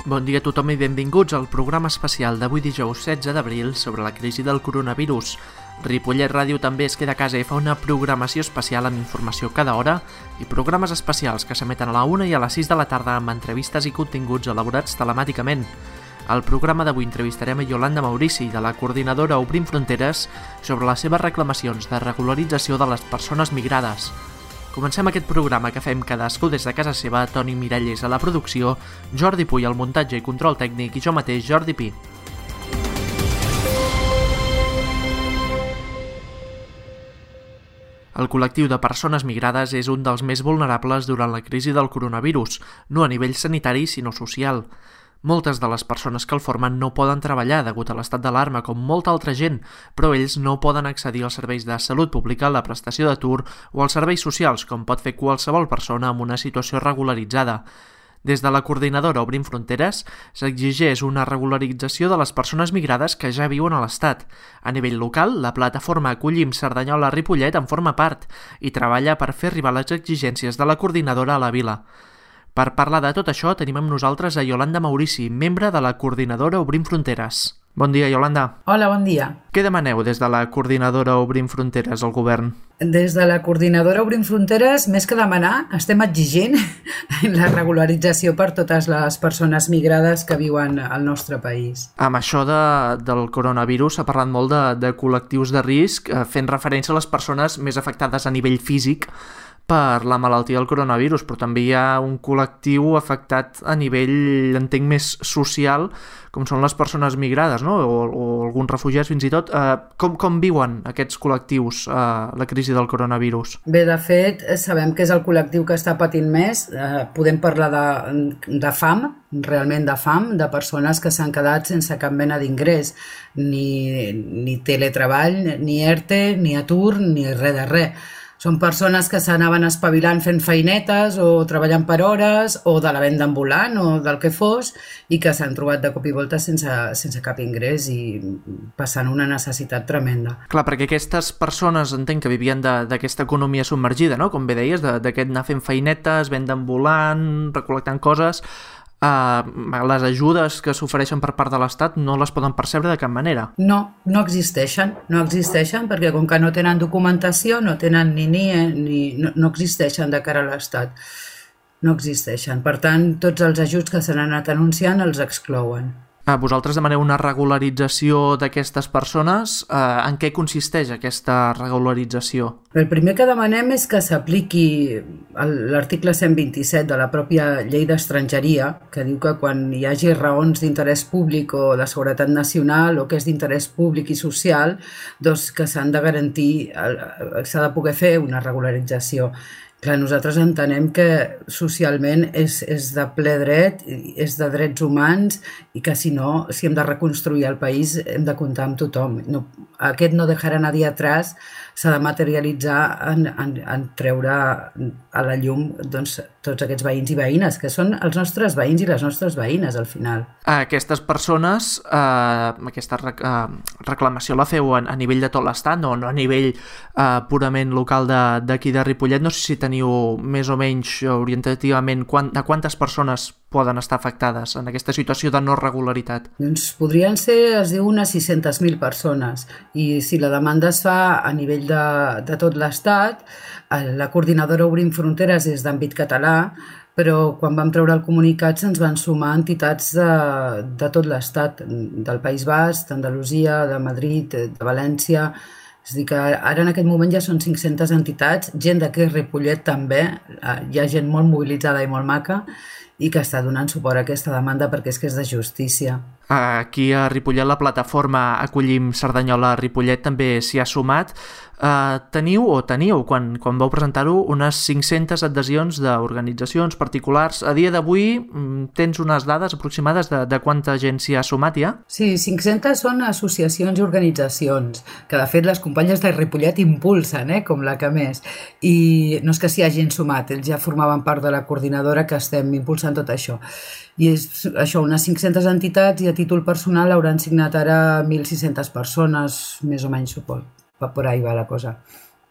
Bon dia a tothom i benvinguts al programa especial d'avui dijous 16 d'abril sobre la crisi del coronavirus. Ripollet Ràdio també es queda a casa i fa una programació especial amb informació cada hora i programes especials que s'emeten a la 1 i a les 6 de la tarda amb entrevistes i continguts elaborats telemàticament. Al programa d'avui entrevistarem a Yolanda Maurici, de la coordinadora Obrim Fronteres, sobre les seves reclamacions de regularització de les persones migrades. Comencem aquest programa que fem cadascú des de casa seva, Toni Miralles a la producció, Jordi Puy al muntatge i control tècnic i jo mateix, Jordi Pi. El col·lectiu de persones migrades és un dels més vulnerables durant la crisi del coronavirus, no a nivell sanitari sinó social. Moltes de les persones que el formen no poden treballar degut a l'estat d'alarma com molta altra gent, però ells no poden accedir als serveis de salut pública, la prestació d'atur o als serveis socials, com pot fer qualsevol persona amb una situació regularitzada. Des de la coordinadora Obrim Fronteres s'exigeix una regularització de les persones migrades que ja viuen a l'Estat. A nivell local, la plataforma Acollim Cerdanyola-Ripollet en forma part i treballa per fer arribar les exigències de la coordinadora a la vila. Per parlar de tot això tenim amb nosaltres a Yolanda Maurici, membre de la coordinadora Obrim Fronteres. Bon dia, Yolanda. Hola, bon dia. Què demaneu des de la coordinadora Obrim Fronteres al govern? Des de la coordinadora Obrim Fronteres, més que demanar, estem exigint la regularització per totes les persones migrades que viuen al nostre país. Amb això del coronavirus s'ha parlat molt de col·lectius de risc, fent referència a les persones més afectades a nivell físic per la malaltia del coronavirus, però també hi ha un col·lectiu afectat a nivell, entenc, més social, com són les persones migrades, no? O alguns refugiats fins i tot. Com viuen aquests col·lectius la crisi del coronavirus? Bé, de fet, sabem que és el col·lectiu que està patint més. Podem parlar de fam, realment de fam, de persones que s'han quedat sense cap mena d'ingrés, ni teletreball, ni ERTE, ni atur, ni res de res. Són persones que s'anaven espavilant fent feinetes o treballant per hores o de la venda ambulant o del que fos i que s'han trobat de cop i volta sense cap ingrés i passant una necessitat tremenda. Clar, perquè aquestes persones entenc que vivien d'aquesta economia submergida, no? Com bé deies, d'aquest anar fent feinetes, venda ambulant, recol·lectant coses. Les ajudes que s'ofereixen per part de l'Estat no les poden percebre de cap manera. No existeixen perquè com que no tenen documentació, no tenen no existeixen de cara a l'Estat. No existeixen. Per tant, tots els ajuts que s'han anat anunciant els exclouen. Vosaltres demaneu una regularització d'aquestes persones. En què consisteix aquesta regularització? El primer que demanem és que s'apliqui l'article 127 de la pròpia llei d'estrangeria, que diu que quan hi hagi raons d'interès públic o de seguretat nacional o que és d'interès públic i social, doncs que s'han de garantir, s'ha de poder fer una regularització. Clar, nosaltres entenem que socialment és de ple dret, és de drets humans i que si hem de reconstruir el país hem de comptar amb tothom. Aquest no dejar a nadie atrás s'ha de materialitzar en treure a la llum tots aquests veïns i veïnes, que són els nostres veïns i les nostres veïnes al final. Aquestes persones, aquesta reclamació la feu a nivell de tot l'Estat, no a nivell purament local d'aquí de Ripollet. No sé si teniu més o menys orientativament a quantes persones poden estar afectades en aquesta situació de no regularitat? Doncs podrien ser, es diu, unes 600.000 persones. I si la demanda es fa a nivell de tot l'Estat, la coordinadora Obrim Fronteres és d'àmbit català, però quan vam treure el comunicat se'ns van sumar entitats de tot l'Estat, del País Basc, d'Andalusia, de Madrid, de València. És a dir, que ara en aquest moment ja són 500 entitats, gent d'aquí Ripollet també, hi ha gent molt mobilitzada i molt maca, i que està donant suport a aquesta demanda perquè és que és de justícia. Aquí a Ripollet la plataforma Acollim Cerdanyola-Ripollet també s'hi ha sumat. Teníeu, quan vau presentar-ho, unes 500 adhesions d'organitzacions particulars. A dia d'avui tens unes dades aproximades de quanta gent s'hi ha sumat ja? Sí, 500 són associacions i organitzacions, que de fet les companyes de Ripollet impulsen, com la que més. I no és que s'hi hagin sumat, ells ja formaven part de la coordinadora que estem impulsant tot això. I és això, unes 500 entitats i a títol personal hauran signat ara 1.600 persones, més o menys suport. Per ahí va la cosa.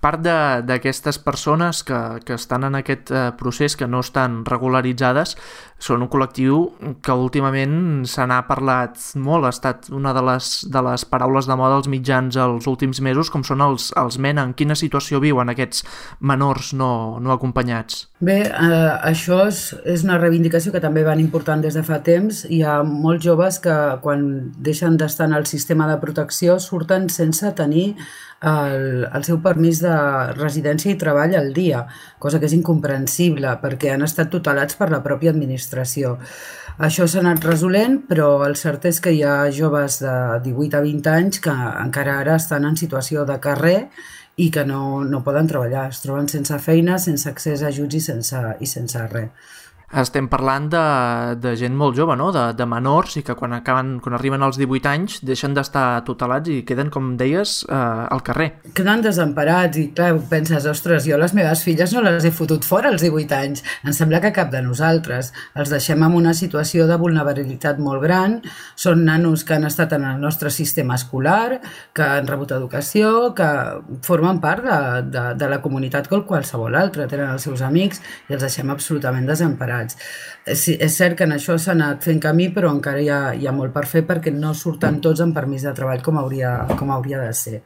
Part d'aquestes persones que estan en aquest procés, que no estan regularitzades, són un col·lectiu que últimament se n'ha parlat molt. Ha estat una de les paraules de moda als mitjans els últims mesos, com són els MENA. En quina situació viuen aquests menors no acompanyats? Bé, això és una reivindicació que també van important des de fa temps. Hi ha molts joves que quan deixen d'estar en el sistema de protecció surten sense tenir el seu permís de residència i treball al dia, cosa que és incomprensible perquè han estat tutelats per la pròpia administració. Això s'ha anat resolent, però el cert és que hi ha joves de 18 a 20 anys que encara ara estan en situació de carrer i que no poden treballar, es troben sense feina, sense accés a ajuts i sense res. Estem parlant de gent molt jove, no? De menors, i que quan arriben als 18 anys deixen d'estar tutelats i queden, com deies, al carrer. Queden desemparats i, clar, penses, ostres, jo les meves filles no les he fotut fora als 18 anys. Em sembla que cap de nosaltres. Els deixem en una situació de vulnerabilitat molt gran. Són nanos que han estat en el nostre sistema escolar, que han rebut educació, que formen part de la comunitat com qualsevol altra. Tenen els seus amics i els deixem absolutament desemparats. Sí, és cert que en això s'ha anat fent camí, però encara hi ha molt per fer perquè no surten tots en permís de treball com hauria de ser.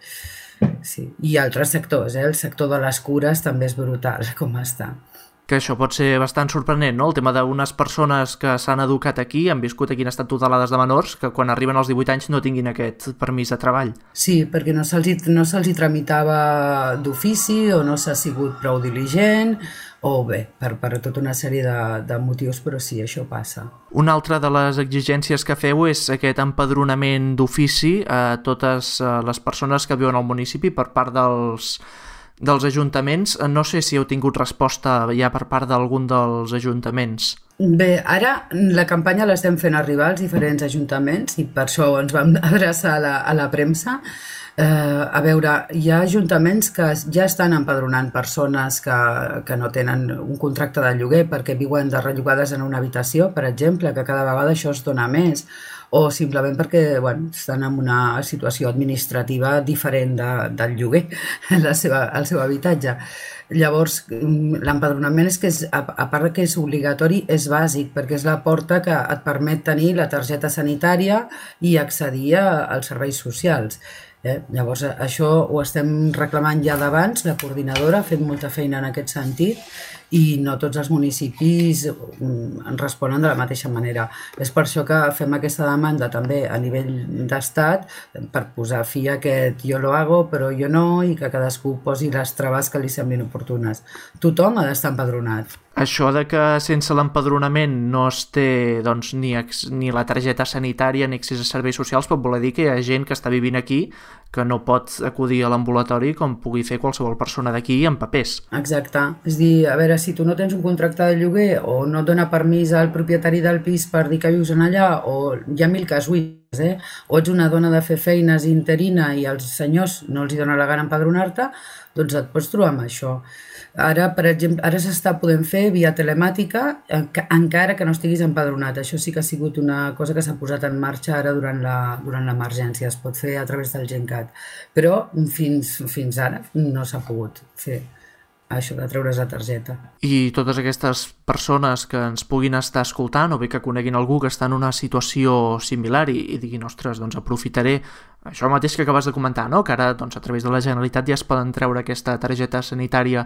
Sí. I altres sectors, el sector de les cures també és brutal com està. Que això pot ser bastant sorprenent, no? El tema d'unes persones que s'han educat aquí, han viscut aquí, han estat tutelades de menors, que quan arriben als 18 anys no tinguin aquest permís de treball. Sí, perquè no se'ls tramitava d'ofici o no s'ha sigut prou diligent, o bé, per tota una sèrie de motius, però sí, això passa. Una altra de les exigències que feu és aquest empadronament d'ofici a totes les persones que viuen al municipi per part dels ajuntaments. No sé si heu tingut resposta ja per part d'algun dels ajuntaments. Bé, ara la campanya l'estem fent arribar als diferents ajuntaments i per això ens vam adreçar a la premsa. A veure, hi ha ajuntaments que ja estan empadronant persones que no tenen un contracte de lloguer perquè viuen de rellogades en una habitació, per exemple, que cada vegada això es dona més, o simplement perquè estan en una situació administrativa diferent del lloguer, el seu habitatge. Llavors, l'empadronament és que, a part que és obligatori, és bàsic, perquè és la porta que et permet tenir la targeta sanitària i accedir als serveis socials. Llavors, això ho estem reclamant ja d'abans, la coordinadora ha fet molta feina en aquest sentit i no tots els municipis en responen de la mateixa manera. És per això que fem aquesta demanda també a nivell d'estat per posar fi a aquest jo lo hago però jo no i que cadascú posi les traves que li semblin oportunes. Tothom ha d'estar empadronat. Això de que sense l'empadronament no es té ni la targeta sanitària ni accés a serveis socials pot voler dir que hi ha gent que està vivint aquí que no pot acudir a l'ambulatori com pugui fer qualsevol persona d'aquí amb papers. Exacte. És dir, a veure, si tu no tens un contracte de lloguer o no et dona permís al propietari del pis per dir que vius en allà, o hi ha 1000 casuístiques, o ets una dona de fer feines interina i als senyors no els dona la gana empadronar-te, doncs et pots trobar amb això. Ara, per exemple, ara s'està podent fer via telemàtica encara que no estiguis empadronat. Això sí que ha sigut una cosa que s'ha posat en marxa ara durant l'emergència. Es pot fer a través del GenCat. Però fins ara no s'ha pogut fer això de treure's la targeta. I totes aquestes persones que ens puguin estar escoltant o bé que coneguin algú que està en una situació similar i diguin, ostres, doncs aprofitaré això mateix que acabes de comentar, no? Que ara a través de la Generalitat ja es poden treure aquesta targeta sanitària.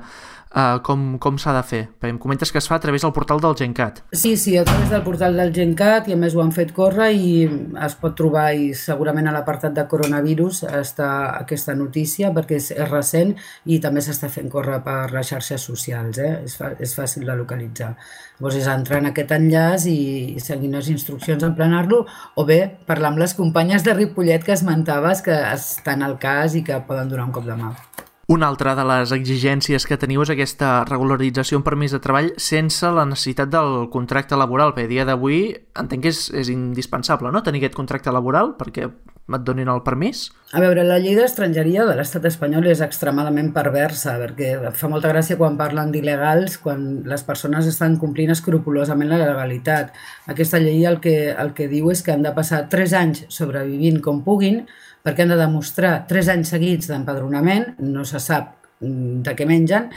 Com s'ha de fer? Perquè em comentes que es fa a través del portal del GenCat. Sí, a través del portal del GenCat, i a més ho han fet córrer i es pot trobar, i segurament a l'apartat de coronavirus està aquesta notícia perquè és recent i també s'està fent córrer per les xarxes socials, és fàcil de localitzar. Llavors és entrar en aquest enllaç i seguir les instruccions, emplenar-lo, o bé parlar amb les companyes de Ripollet que esmentaves que estan al cas i que poden donar un cop de mà. Una altra de les exigències que teniu és aquesta regularització en permís de treball sense la necessitat del contracte laboral. Per dia d'avui entenc que és indispensable, no?, tenir aquest contracte laboral perquè et donin el permís. A veure, la llei d'estrangeria de l'estat espanyol és extremadament perversa, perquè fa molta gràcia quan parlen d'il·legals, quan les persones estan complint escrupolosament la legalitat. Aquesta llei el que diu és que han de passar 3 anys sobrevivint com puguin, perquè han de demostrar 3 anys seguits d'empadronament, no se sap de què mengen,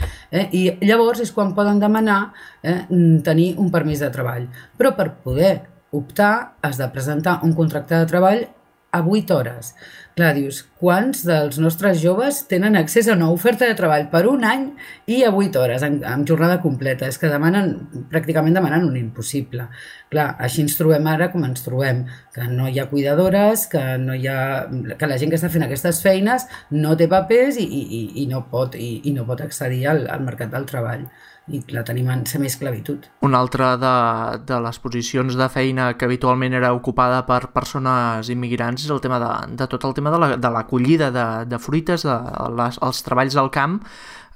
i llavors és quan poden demanar tenir un permís de treball. Però per poder optar has de presentar un contracte de treball a 8 hores. Clar, dius, quants dels nostres joves tenen accés a una oferta de treball per un any i a 8 hores, amb jornada completa? És que pràcticament demanen un impossible. Clar, així ens trobem ara com ens trobem, que no hi ha cuidadores, que la gent que està fent aquestes feines no té papers i no pot accedir al mercat del treball. I la tenim en semiesclavitud. Una altra de les posicions de feina que habitualment era ocupada per persones immigrants és el tema de tot el tema de l'acollida de fruites, els treballs al camp.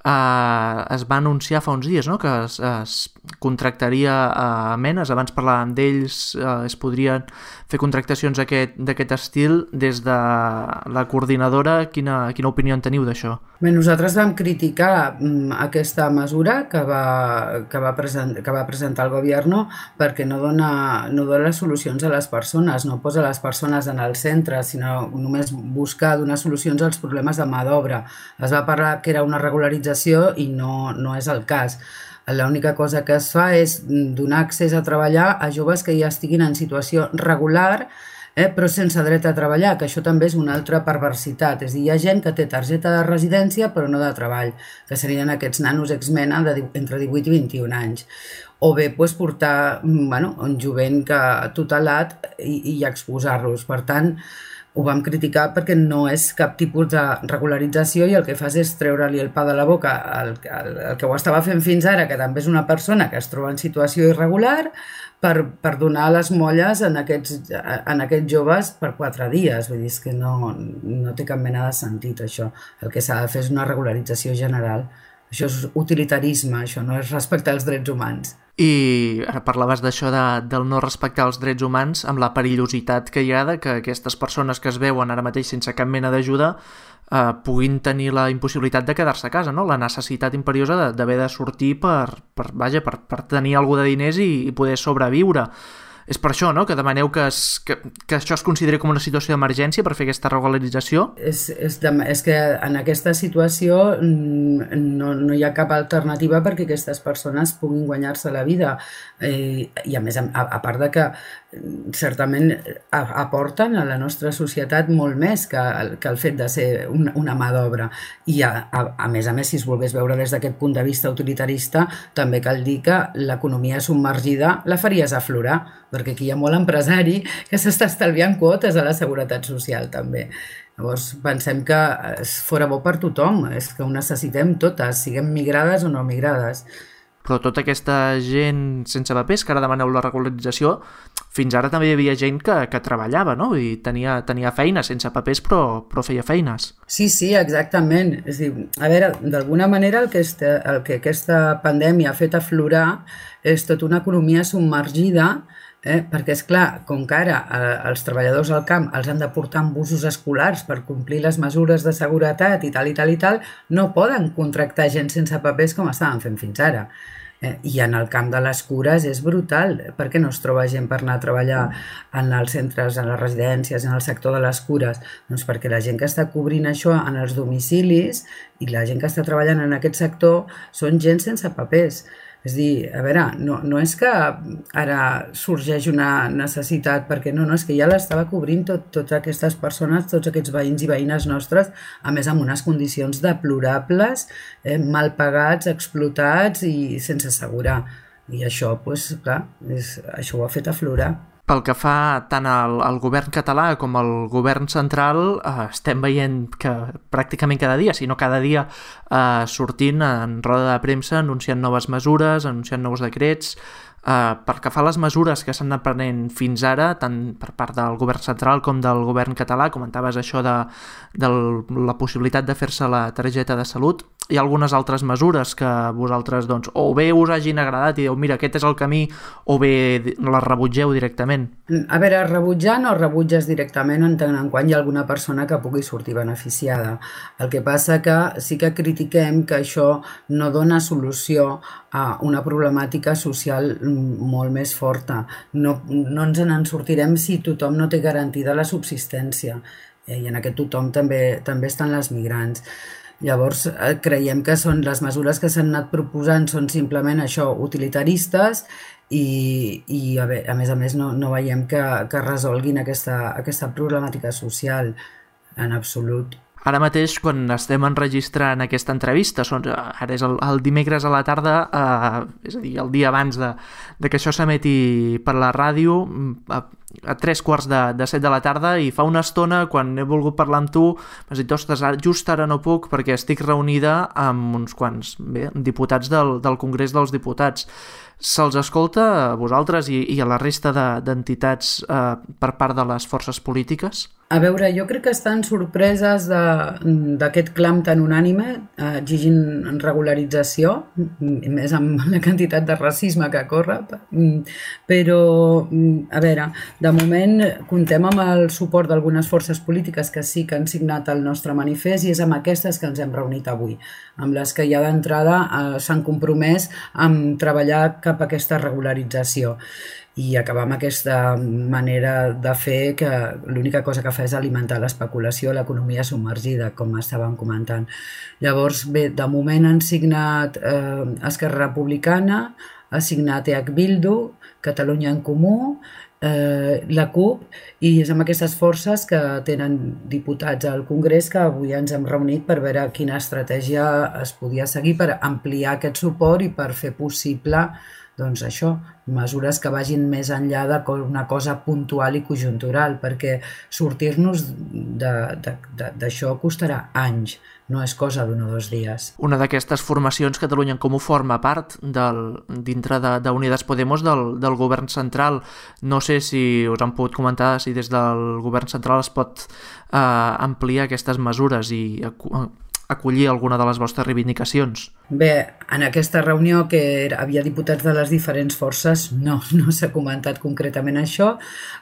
Es va anunciar fa uns dies, no?, que es contractaria a menes. Abans parlàvem d'ells, es podrien fer contractacions d'aquest estil. Des de la coordinadora, quina opinió en teniu d'això? Bé, nosaltres vam criticar aquesta mesura que va presentar el govern, perquè no dona solucions a les persones, no posa les persones en el centre, sinó només busca donar solucions als problemes de mà d'obra. Es va parlar que era una regularització i no és el cas. L'única cosa que es fa és donar accés a treballar a joves que ja estiguin en situació regular, però sense dret a treballar, que això també és una altra perversitat. És a dir, hi ha gent que té targeta de residència però no de treball, que serien aquests nanos ex-mena entre 18 i 21 anys. O bé portar un jovent tutelat i exposar-los. Per tant, ho vam criticar perquè no és cap tipus de regularització i el que fas és treure-li el pa de la boca el que ho estava fent fins ara, que també és una persona que es troba en situació irregular, per donar les molles en aquests joves per 4 dies. Vull dir, que no té cap mena de sentit, això. El que s'ha de fer és una regularització general. Això és utilitarisme, això no és respectar els drets humans. I ara parlaves d'això del no respectar els drets humans, amb la perillositat que hi ha de que aquestes persones que es veuen ara mateix sense cap mena d'ajuda puguin tenir la impossibilitat de quedar-se a casa, no? La necessitat imperiosa d'haver de sortir per tenir alguna de diners i poder sobreviure. És per això, no?, que demaneu que això es consideri com una situació d'emergència per fer aquesta regularització? És que en aquesta situació no hi ha cap alternativa perquè aquestes persones puguin guanyar-se la vida. I a més, a part de que certament aporten a la nostra societat molt més que el fet de ser una mà d'obra. I a més, si es volgués veure des d'aquest punt de vista utilitarista, també cal dir que l'economia submergida la faries aflorar, perquè aquí hi ha molt empresari que s'està estalviant quotes a la seguretat social també. Llavors pensem que fora bo per tothom, és que ho necessitem totes, siguem migrades o no migrades. Però tota aquesta gent sense papers que ara demaneu la regularització, fins ara també hi havia gent que treballava, no? I tenia feina sense papers, però feia feines. Sí, exactament. És a dir, a veure, d'alguna manera el que aquesta pandèmia ha fet aflorar és tota una economia submergida, perquè, és clar, com que ara els treballadors al camp els han de portar amb busos escolars per complir les mesures de seguretat i tal, no poden contractar gent sense papers com estaven fent fins ara. I en el camp de les cures és brutal. Per què no es troba gent per anar a treballar en els centres, en les residències, en el sector de les cures? Doncs perquè la gent que està cobrint això en els domicilis i la gent que està treballant en aquest sector són gent sense papers. És a dir, a veure, no és que ara sorgeix una necessitat, perquè no, és que ja l'estava cobrint totes aquestes persones, tots aquests veïns i veïnes nostres, a més amb unes condicions deplorables, mal pagats, explotats i sense assegurar. I això, doncs, clar, això ho ha fet aflorar. Pel que fa tant al govern català com al govern central, estem veient que pràcticament cada dia, si no cada dia, sortint en roda de premsa anunciant noves mesures, anunciant nous decrets. Pel que fa a les mesures que s'han anat prenent fins ara, tant per part del govern central com del govern català, comentaves això de la possibilitat de fer-se la targeta de salut, hi ha algunes altres mesures que vosaltres, doncs, o bé us hagin agradat i dieu, mira, aquest és el camí, o bé les rebutgeu directament? A veure, rebutjar no rebutges directament en tant en quant hi ha alguna persona que pugui sortir beneficiada. El que passa que sí que critiquem que això no dona solució a una problemàtica social molt més forta. No ens en sortirem si tothom no té garantida la subsistència. I en aquest tothom també estan les migrants. Llavors, creiem que són les mesures que s'han anat proposant són simplement això, utilitaristes, i a més no veiem que resolguin aquesta problemàtica social en absolut. Ara mateix, quan estem enregistrant aquesta entrevista, ara és el dimecres a la tarda, és a dir, el dia abans de que això s'emeti per la ràdio, a 7:15 de la tarda, i fa una estona, quan he volgut parlar amb tu, m'has dit, ostres, just ara no puc perquè estic reunida amb uns quants diputats del Congrés dels Diputats. Se'ls escolta a vosaltres i a la resta d'entitats per part de les forces polítiques? A veure, jo crec que estan sorpreses d'aquest clam tan unànime exigint regularització, més amb la quantitat de racisme que corre, però, a veure, de moment comptem amb el suport d'algunes forces polítiques que sí que han signat el nostre manifest, i és amb aquestes que ens hem reunit avui, amb les que ja d'entrada s'han compromès a treballar cap a aquesta regularització i acabar amb aquesta manera de fer que l'única cosa que fa és alimentar l'especulació, l'economia submergida, com estàvem comentant. Llavors, bé, de moment han signat Esquerra Republicana, ha signat EH Bildu, Catalunya en Comú, la CUP, i és amb aquestes forces que tenen diputats al Congrés que avui ens hem reunit per veure quina estratègia es podia seguir per ampliar aquest suport i per fer possible, doncs això, mesures que vagin més enllà d'una cosa puntual i conjuntural, perquè sortir-nos d'això costarà anys, no és cosa d'un o dos dies. Una d'aquestes formacions, Catalunya en Comú, forma part dintre d'Unidas Podemos del govern central. No sé si us han pogut comentar si des del govern central es pot ampliar aquestes mesures i acollir alguna de les vostres reivindicacions. Bé, en aquesta reunió que havia diputats de les diferents forces no s'ha comentat concretament això.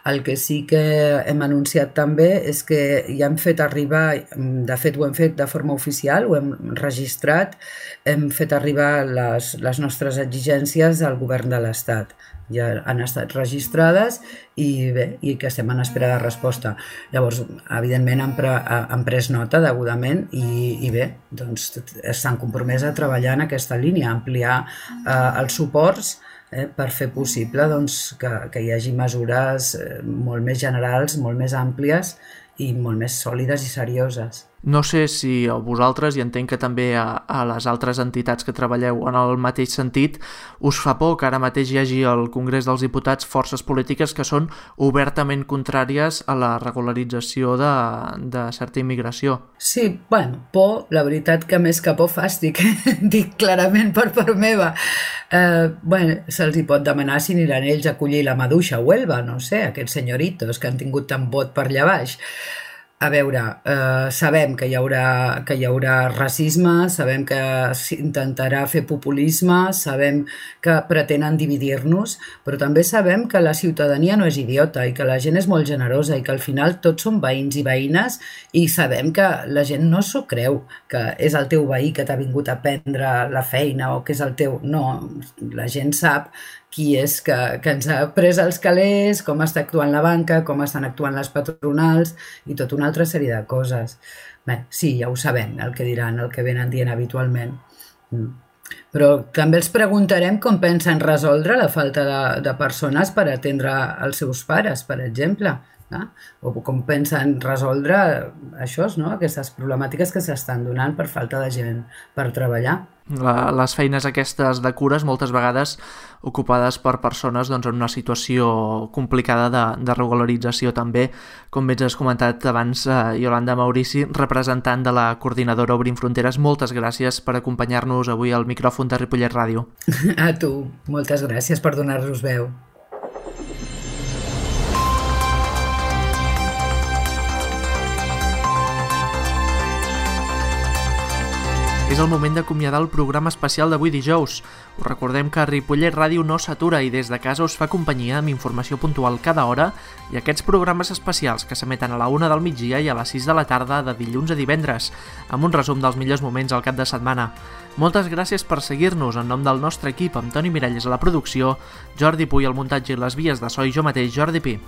El que sí que hem anunciat també és que ja hem fet arribar, de fet ho hem fet de forma oficial, ho hem registrat, hem fet arribar les nostres exigències al govern de l'Estat. Ja han estat registrades i bé, i que estem en espera de resposta. Llavors, evidentment, han pres nota degudament i bé, doncs s'han compromès a treballar en aquesta línia, ampliar els suports per fer possible que hi hagi mesures molt més generals, molt més àmplies i molt més sòlides i serioses. No sé si a vosaltres, i entenc que també a les altres entitats que treballeu en el mateix sentit, us fa por que ara mateix hi hagi al Congrés dels Diputats forces polítiques que són obertament contràries a la regularització de certa immigració. Sí, bueno, por, la veritat que més que por fàstic, dic clarament per part meva. Bueno, se'ls hi pot demanar si aniran ells a acollir la maduixa a Huelva, no sé, aquests senyoritos que han tingut tant vot per allà baix. A veure, sabem que hi haurà racisme, sabem que s'intentarà fer populisme, sabem que pretenen dividir-nos, però també sabem que la ciutadania no és idiota i que la gent és molt generosa i que al final tots som veïns i veïnes, i sabem que la gent no s'ho creu, que és el teu veí que t'ha vingut a prendre la feina o que és el teu... No, la gent sap qui és que ens ha pres els calés, com està actuant la banca, com estan actuant les patronals i tota una altra sèrie de coses. Bé, sí, ja ho sabem, el que diran, el que venen dient habitualment. Però també els preguntarem com pensen resoldre la falta de persones per atendre els seus pares, per exemple. O com pensen resoldre això, no? Aquestes problemàtiques que s'estan donant per falta de gent per treballar. Les feines aquestes de cures moltes vegades ocupades per persones en una situació complicada de regularització també, com bé has comentat abans, Iolanda Maurici, representant de la coordinadora Obrim Fronteres. Moltes gràcies per acompanyar-nos avui al micròfon de Ripollet Ràdio. A tu, moltes gràcies per donar-nos veu. És el moment d'acomiadar el programa especial d'avui dijous. Us recordem que Ripollet Ràdio no s'atura i des de casa us fa companyia amb informació puntual cada hora i aquests programes especials que s'emeten a la 1 del migdia i a les 6 de la tarda de dilluns a divendres, amb un resum dels millors moments al cap de setmana. Moltes gràcies per seguir-nos en nom del nostre equip, amb Toni Miralles a la producció, Jordi Puy al muntatge i les vies de so i jo mateix, Jordi Pi.